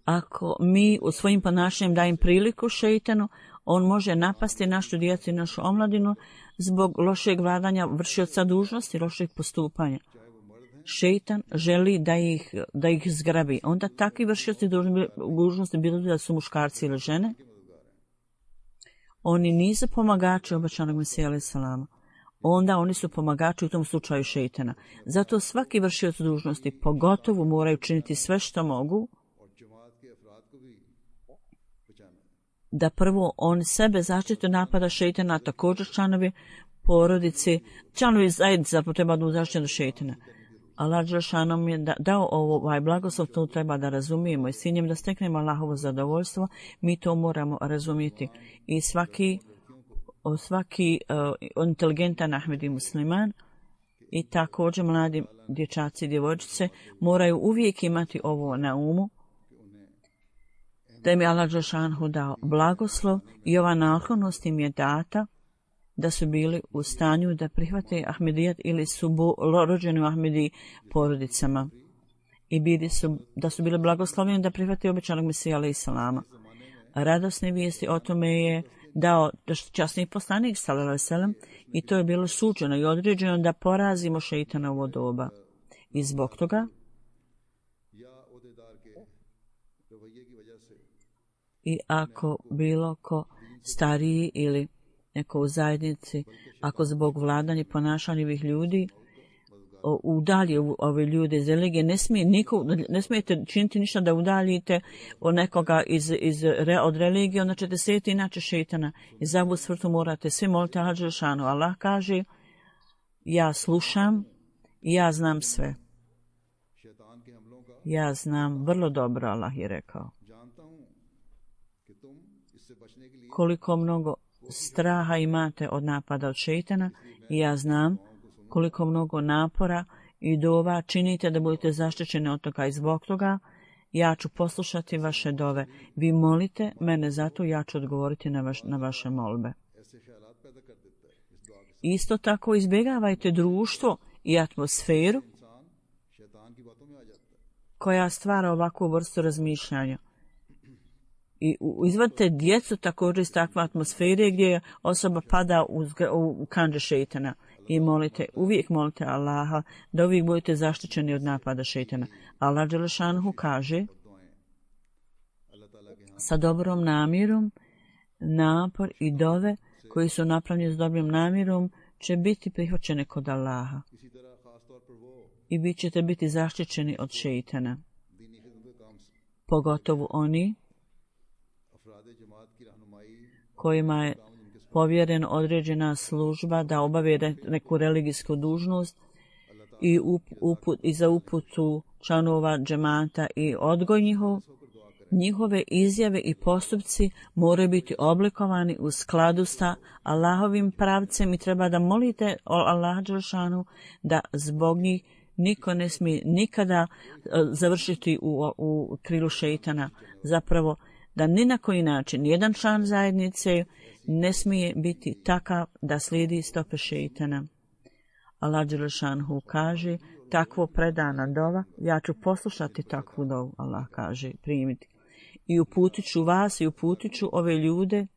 Ako mi u svojim ponašanjem dajem priliku šeitanu, on može napasti našu djecu i našu omladinu zbog lošeg vladanja vršioca dužnosti, lošeg postupanja. Šeitan želi da ih, da ih zgrabi. Onda takvi vršioci dužnosti, bilo da su muškarci ili žene, oni nisu pomagači obećanog Mesija alejhi selama. Onda oni su pomagači u tom slučaju šeitana. Zato svaki vršioc dužnosti pogotovo moraju činiti sve što mogu da prvo on sebe zaštite napada šeitana, a također članovi porodice, članovi zajednice treba da zaštite od šeitana. Allah dželešanu je da, dao ovaj blagoslov, to treba da razumijemo i s ciljem da steknemo Allahovo zadovoljstvo, mi to moramo razumjeti. I svaki, svaki uh, inteligentan Ahmedi musliman i također mladi dječaci i djevojčice moraju uvijek imati ovo na umu, da im je Allah dželešanu dao blagoslov i ova naklonost im je data da su bili u stanju da prihvate Ahmedijat ili su bo, rođeni u Ahmedi porodicama i bili su, da su bili blagoslovljeni da prihvate obećanog Mesija alejhi selama. Radosne vijesti o tome je dao časni poslanik sallallahu alejhi ve sellem i to je bilo suđeno i određeno da porazimo šeitana u ovo doba. I zbog toga i ako bilo ko stariji ili neko u zajednici, ako zbog vladanja i ponašanja ovih ljudi udalji ove ljude iz religije, ne, smije niko, ne smijete činiti ništa da udaljite od nekoga iz, iz, od religije, onda ćete sjetiti inače šeitana. I za ovu svrtu morate svi moliti Allah dželešanu. Allah kaže, ja slušam i ja znam sve. Ja znam vrlo dobro, Allah je rekao. Koliko mnogo straha imate od napada od šeitana i ja znam koliko mnogo napora i dova činite da budete zaštićeni od toga i zbog toga ja ću poslušati vaše dove. Vi molite mene zato, ja ću odgovoriti na, vaš, na vaše molbe. Isto tako izbjegavajte društvo i atmosferu koja stvara ovakvu vrstu razmišljanja. I izvadite djecu također iz takve atmosfere gdje osoba pada u, u kandže šeitana. I molite, uvijek molite Allaha da uvijek budete zaštićeni od napada šeitana. Allah dželešanu kaže, sa dobrom namjerom, napor i dove koji su napravljeni s dobrom namjerom će biti prihvaćene kod Allaha. I vi ćete biti zaštićeni od šeitana. Pogotovo oni kojima je povjerena određena služba da obave neku religijsku dužnost i, up, uput, i za uputu članova džemata i odgoj njihov Njihove izjave i postupci moraju biti oblikovani u skladu sa Allahovim pravcem i treba da molite Allaha dželešanu da zbog njih niko ne smije nikada završiti u, u krilu šeitana. Zapravo da ni na koji način jedan član zajednice ne smije biti takav da slijedi stope šeitana. Allah dželešanu kaže, takvo predana dova, ja ću poslušati takvu dovu, Allah kaže, primiti. I uputit ću vas i uputit ću ove ljude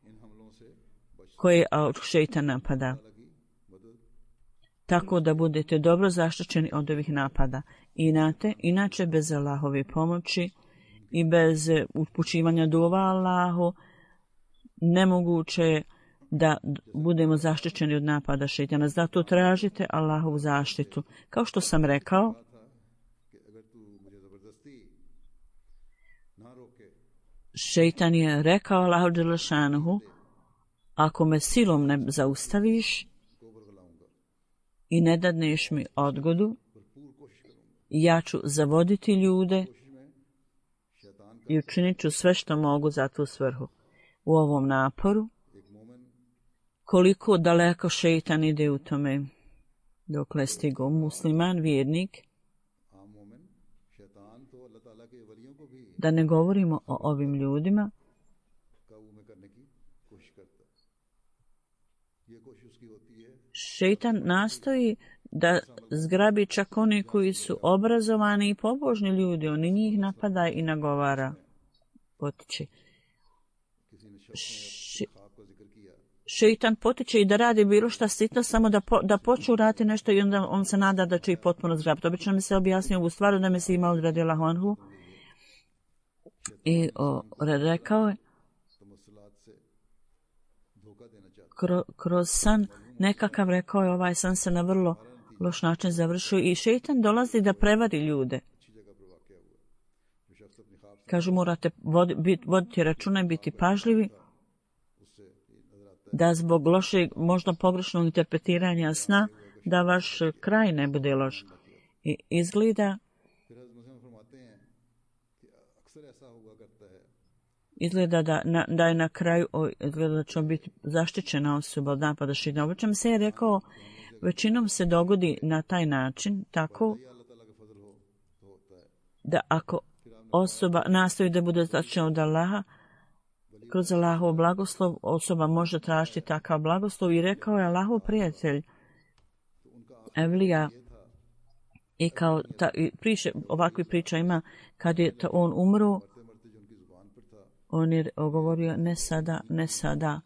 koje šeitan napada. Tako da budete dobro zaštićeni od ovih napada. Inate, inače bez Allahove pomoći i bez upućivanja dova Allahu nemoguće je da budemo zaštićeni od napada šeitana. Zato tražite Allahovu zaštitu. Kao što sam rekao, šeitan je rekao Allahu dželešanuhu, ako me silom ne zaustaviš i ne dadneš mi odgodu, ja ću zavoditi ljude i učinit ću sve što mogu za tu svrhu. U ovom naporu, koliko daleko šeitan ide u tome, dokle stigo musliman, vjernik, da ne govorimo o ovim ljudima, šeitan nastoji da zgrabi čak oni koji su obrazovani i pobožni ljudi, oni njih napada i nagovara, potiče. Še, šeitan potiče i da radi bilo šta sitno, samo da, po, da počnu raditi nešto i onda on se nada da će ih potpuno zgrabiti. Obično mi se objasnio ovu stvar da me se ima odradila honhu i o, rekao je kro, kroz san nekakav, rekao je, ovaj san se na vrlo loš način završio i šeitan dolazi da prevari ljude. Kažu, morate voditi, voditi računa i biti pažljivi da zbog lošeg, možda pogrešnog interpretiranja sna, da vaš kraj ne bude loš. I izgleda izgleda da, na, da je na kraju o, izgleda da će biti zaštićena osoba od napada šeitana. O čem se je rekao, većinom se dogodi na taj način, tako da ako osoba nastoji da bude zaštićena od Allaha, kroz Allahov blagoslov osoba može tražiti takav blagoslov. I rekao je Allahov prijatelj Evlija, i kao ta, i priče, ovakvi priča ima, kad je ta, on umro, on je govorio ne sada, ne sada.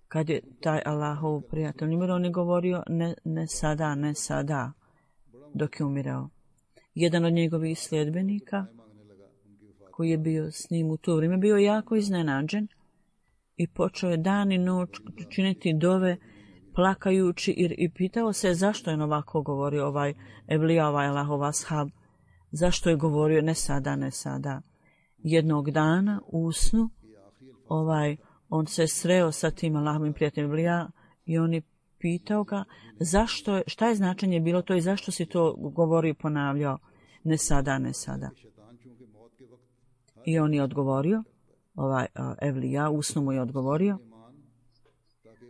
Kad je taj Allahov prijatelj umro, on je govorio ne, ne sada, ne sada, dok je umirao. Jedan od njegovih sljedbenika, koji je bio s njim u to vrijeme, bio jako iznenađen i počeo je dan i noć činiti dove, plakajući, i, i pitao se zašto je ovako govorio ovaj Evlija, ovaj Allahov ashab, zašto je govorio ne sada, ne sada. Jednog dana u snu ovaj, on se sreo sa tim Allahovim prijateljem Evlija i on je pitao ga zašto je, šta je značenje bilo to i zašto si to govorio i ponavljao ne sada, ne sada. I on je odgovorio, ovaj uh, Evlija u snu mu je odgovorio,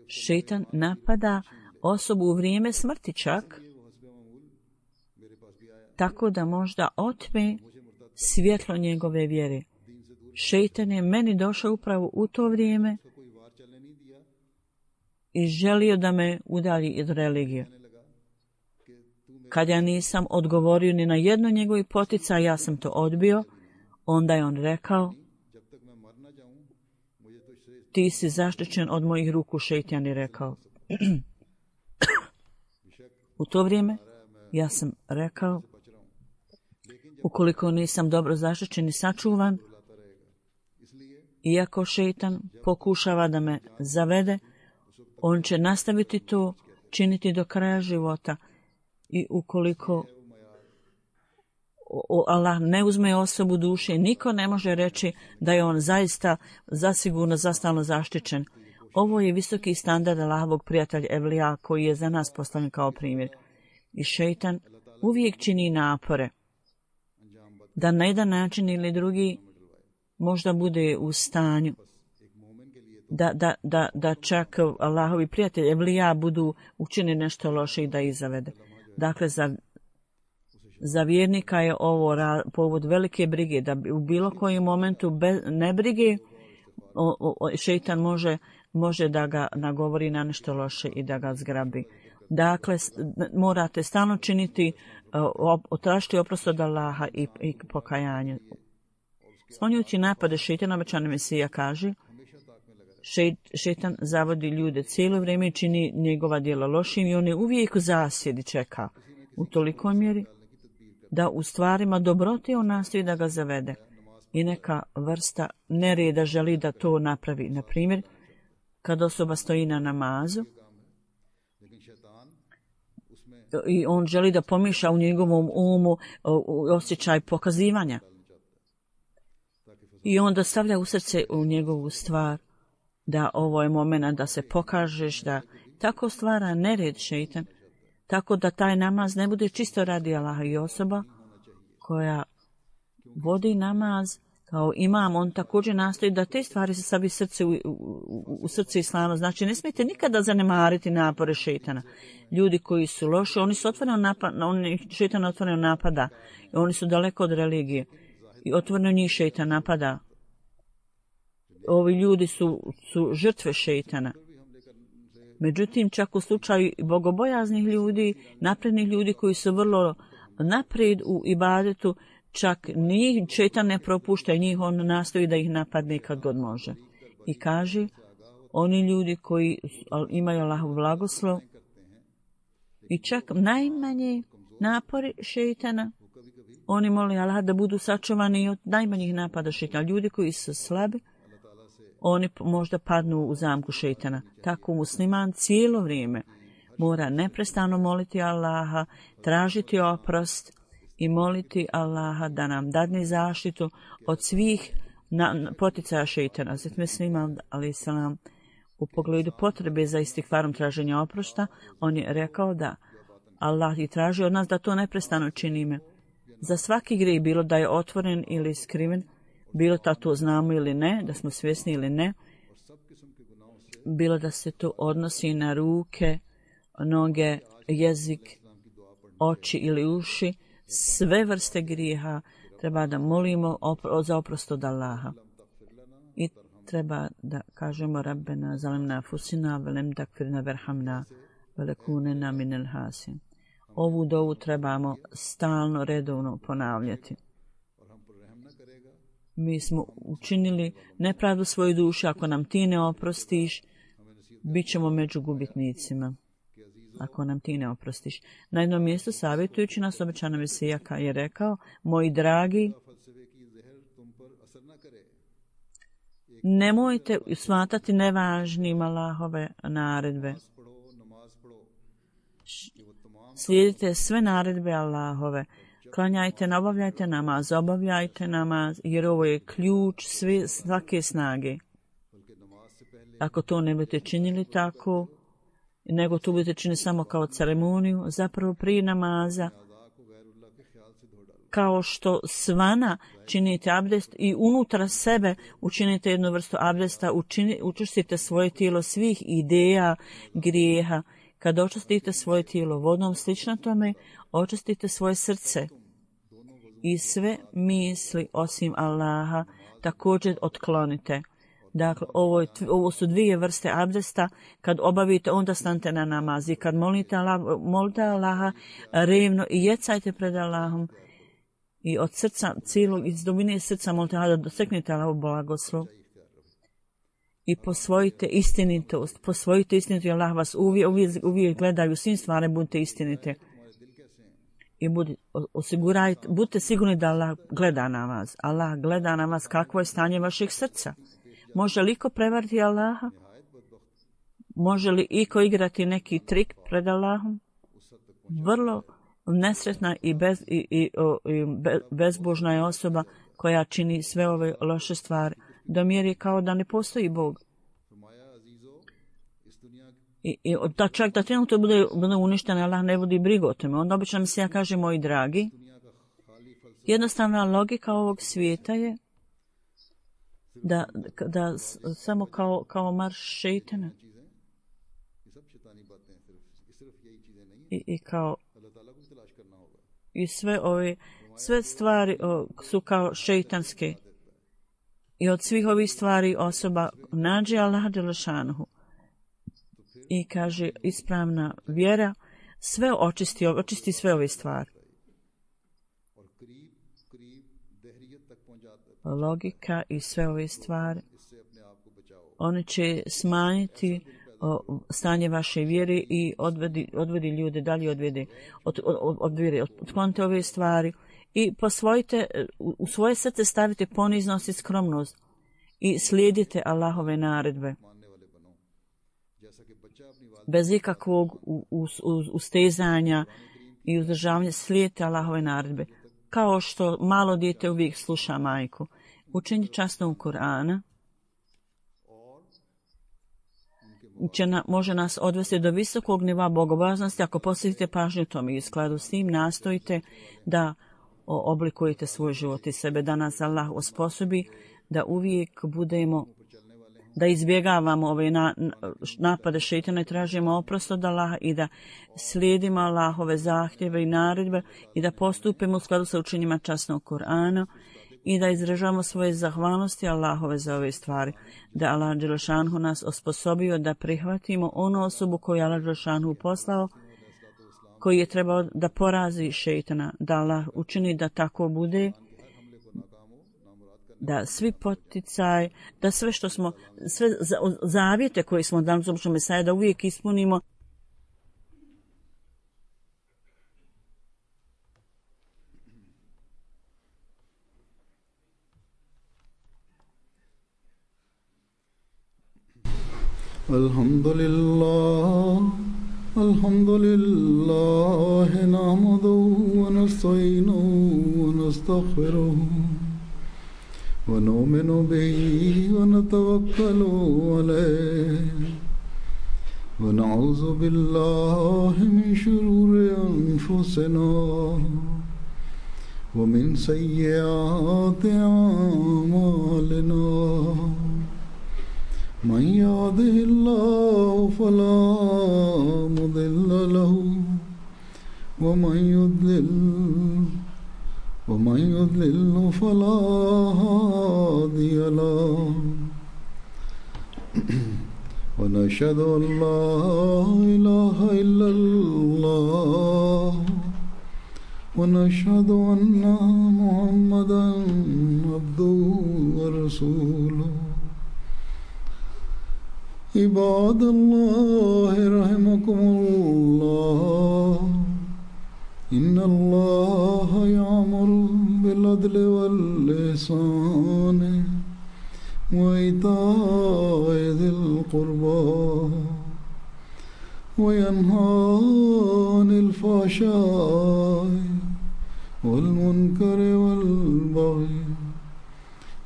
šeitan napada osobu u vrijeme smrti čak, tako da možda otme svjetlo njegove vjere. Šeitan je meni došao upravo u to vrijeme i želio da me udalji od religije. Kad ja nisam odgovorio ni na jedno njegovi potica, ja sam to odbio, onda je on rekao, ti si zaštićen od mojih ruku, šeitan je rekao. U to vrijeme ja sam rekao, ukoliko nisam dobro zaštićen i sačuvan, iako šeitan pokušava da me zavede, on će nastaviti to činiti do kraja života. I ukoliko Allah ne uzme osobu duše, niko ne može reći da je on zaista zasigurno zastalno zaštićen. Ovo je visoki standard Allahovog prijatelja Evlija koji je za nas postavljen kao primjer. I šeitan uvijek čini napore da na jedan način ili drugi možda bude u stanju da, da, da, da čak Allahovi prijatelji, evlija, budu učini nešto loše i da ih zavede. Dakle, za, za vjernika je ovo ra, povod velike brige, da u bilo kojem momentu bez nebrige o, o, šeitan može, može da ga nagovori na nešto loše i da ga zgrabi. Dakle, morate stalno činiti, tražiti oprost od Allaha i, i pokajanje. Sklonjujući napade šeitana, obećani Mesija kaže, šeit, šeitan zavodi ljude cijelo vrijeme i čini njegova djela lošim i on je uvijek u zasjedi čeka u tolikoj mjeri da u stvarima dobrote on nastoji da ga zavede. I neka vrsta nereda želi da to napravi. Na primjer, kad osoba stoji na namazu i on želi da pomiša u njegovom umu osjećaj pokazivanja. I onda stavlja u srce u njegovu stvar da ovo je moment da se pokažeš, da tako stvara nered šeitan, tako da taj namaz ne bude čisto radi Allaha. I osoba koja vodi namaz kao imam, on također nastoji da te stvari se stavi srce u, u, u srce islama. Znači, ne smijete nikada zanemariti napore šeitana. Ljudi koji su loši, oni su otvoreno napada, oni šeitan otvoreno napada, i oni su daleko od religije. I otvoreno njih šeitan napada. Ovi ljudi su, su žrtve šeitana. Međutim, čak u slučaju bogobojaznih ljudi, naprednih ljudi koji su vrlo naprijed u ibadetu, čak njih šeitan ne propušta i njih on nastoji da ih napadne kad god može. I kaže, oni ljudi koji imaju Allahov blagoslov i čak najmanje napori šeitana, oni moli Allah da budu sačuvani od najmanjih napada šeitana. Ljudi koji su slabi, oni možda padnu u zamku šeitana. Tako musliman cijelo vrijeme mora neprestano moliti Allaha, tražiti oprost i moliti Allaha da nam dadne zaštitu od svih na, poticaja šeitana. Zato mislim, ali salam, u pogledu potrebe za istikvarom traženja oprošta, on je rekao da Allah i traži od nas da to neprestano činimo. Za svaki grijeh, bilo da je otvoren ili skriven, bilo da to znamo ili ne, da smo svjesni ili ne, bilo da se to odnosi na ruke, noge, jezik, oči ili uši, sve vrste grijeha treba da molimo opro, za oprost od Allaha. I treba da kažemo Rabbena zalemna fusina velem takfirna verhamna velekunena minel hasim. Ovu dovu trebamo stalno, redovno ponavljati. Mi smo učinili nepravdu svoju duši, ako nam ti ne oprostiš, bit ćemo među gubitnicima. Ako nam ti ne oprostiš. Na jednom mjestu savjetujući nas obećana Mesija je rekao, moji dragi, nemojte smatrati nevažnim Allahove naredbe. Slijedite sve naredbe Allahove. Klanjajte, obavljajte namaz, obavljajte namaz, jer ovo je ključ sve, svake snage. Ako to ne budete činili tako, nego to budete činiti samo kao ceremoniju, zapravo prije namaza, kao što svana činite abdest i unutra sebe učinite jednu vrstu abdesta, učini, učistite svoje tijelo svih ideja, grijeha. Kad očistite svoje tijelo vodom, slično tome, očistite svoje srce i sve misli osim Allaha također otklonite. Dakle, ovo, je, ovo su dvije vrste abdesta. Kad obavite, onda stanite na namaz. I kad molite, Allah, molite Allaha revno i jecajte pred Allahom. I od srca, cijelog, iz dubine srca molite Allaha da doseknete Allahov blagoslov. I posvojite istinitost. Posvojite istinitost. Allah vas uvijek, uvijek, uvijek gleda u svim stvarima, budite istinite. I budi, osigurajte, budite sigurni da Allah gleda na vas. Allah gleda na vas kakvo je stanje vašeg srca. Može li iko prevariti Allaha? Može li iko igrati neki trik pred Allahom? Vrlo nesretna i, bez, i, i, i bezbožna je osoba koja čini sve ove loše stvari. Do mjeri kao da ne postoji Bog. I, i da čak da trenutno bude, bude uništen, Allah ne vodi brigu o tome. Onda obično mi se ja kaže, moji dragi, jednostavna logika ovog svijeta je da, da samo kao, kao marš šeitana i, i kao i sve ove sve stvari o, su kao šeitanske i od svih ovih stvari osoba nađe Allaha dželešanuhu i kaže ispravna vjera sve očisti, očisti sve ove stvari. Logika i sve ove stvari one će smanjiti o, stanje vaše vjere i odvedi, odvedi ljude dalje odvede od, od, od vjere, otklonite ove stvari i posvojite, u svoje srce stavite poniznost i skromnost i slijedite Allahove naredbe bez ikakvog ustezanja i uzdržavanja. Slijedite Allahove naredbe kao što malo dijete uvijek sluša majku. Učenje časnog Kur'ana će na, može nas odvesti do visokog nivoa bogobojaznosti ako posvetite pažnju tome i u skladu s tim nastojite da oblikujete svoj život i sebe, da nas Allah osposobi da uvijek budemo, da izbjegavamo ove na, napade šejtana i tražimo oprost od Allaha i da slijedimo Allahove zahtjeve i naredbe i da postupimo u skladu sa učenjima časnog Kur'ana i da izražavamo svoje zahvalnosti Allahove za ove stvari, da Allah dželešanhu nas osposobio da prihvatimo onu osobu koju Allah dželešanhu poslao, koji je trebao da porazi šejtana, da Allah učini da tako bude, da svi poticaj, da sve što smo, sve zavjete koje smo dali uz običnog Mesaja, da uvijek ispunimo. Alhamdulillah, alhamdulillah, nahmaduhu wa nasta'inuhu wa nastaghfiruhu ونؤمن به ونتوكل عليه ونعوذ بالله من شرور أنفسنا ومن سيئات أعمالنا من يهده الله فلا مضل له ومن يضلل ومن يضلل فلا هادي له ونشهد أن لا إله إلا الله ونشهد أن محمدا عبده ورسوله عباد الله رحمكم الله إن الله يأمر بالعدل والإحسان وإيتاء ذي القربى وينهى عن الفحشاء والمنكر والبغي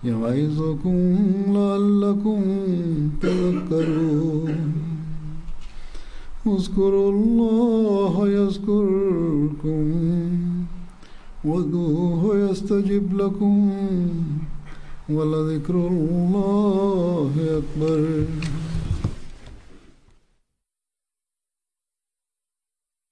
يعظكم لعلكم تذكرون اذكروا الله يذكركم وادعوه يستجب لكم ولذكر الله أكبر.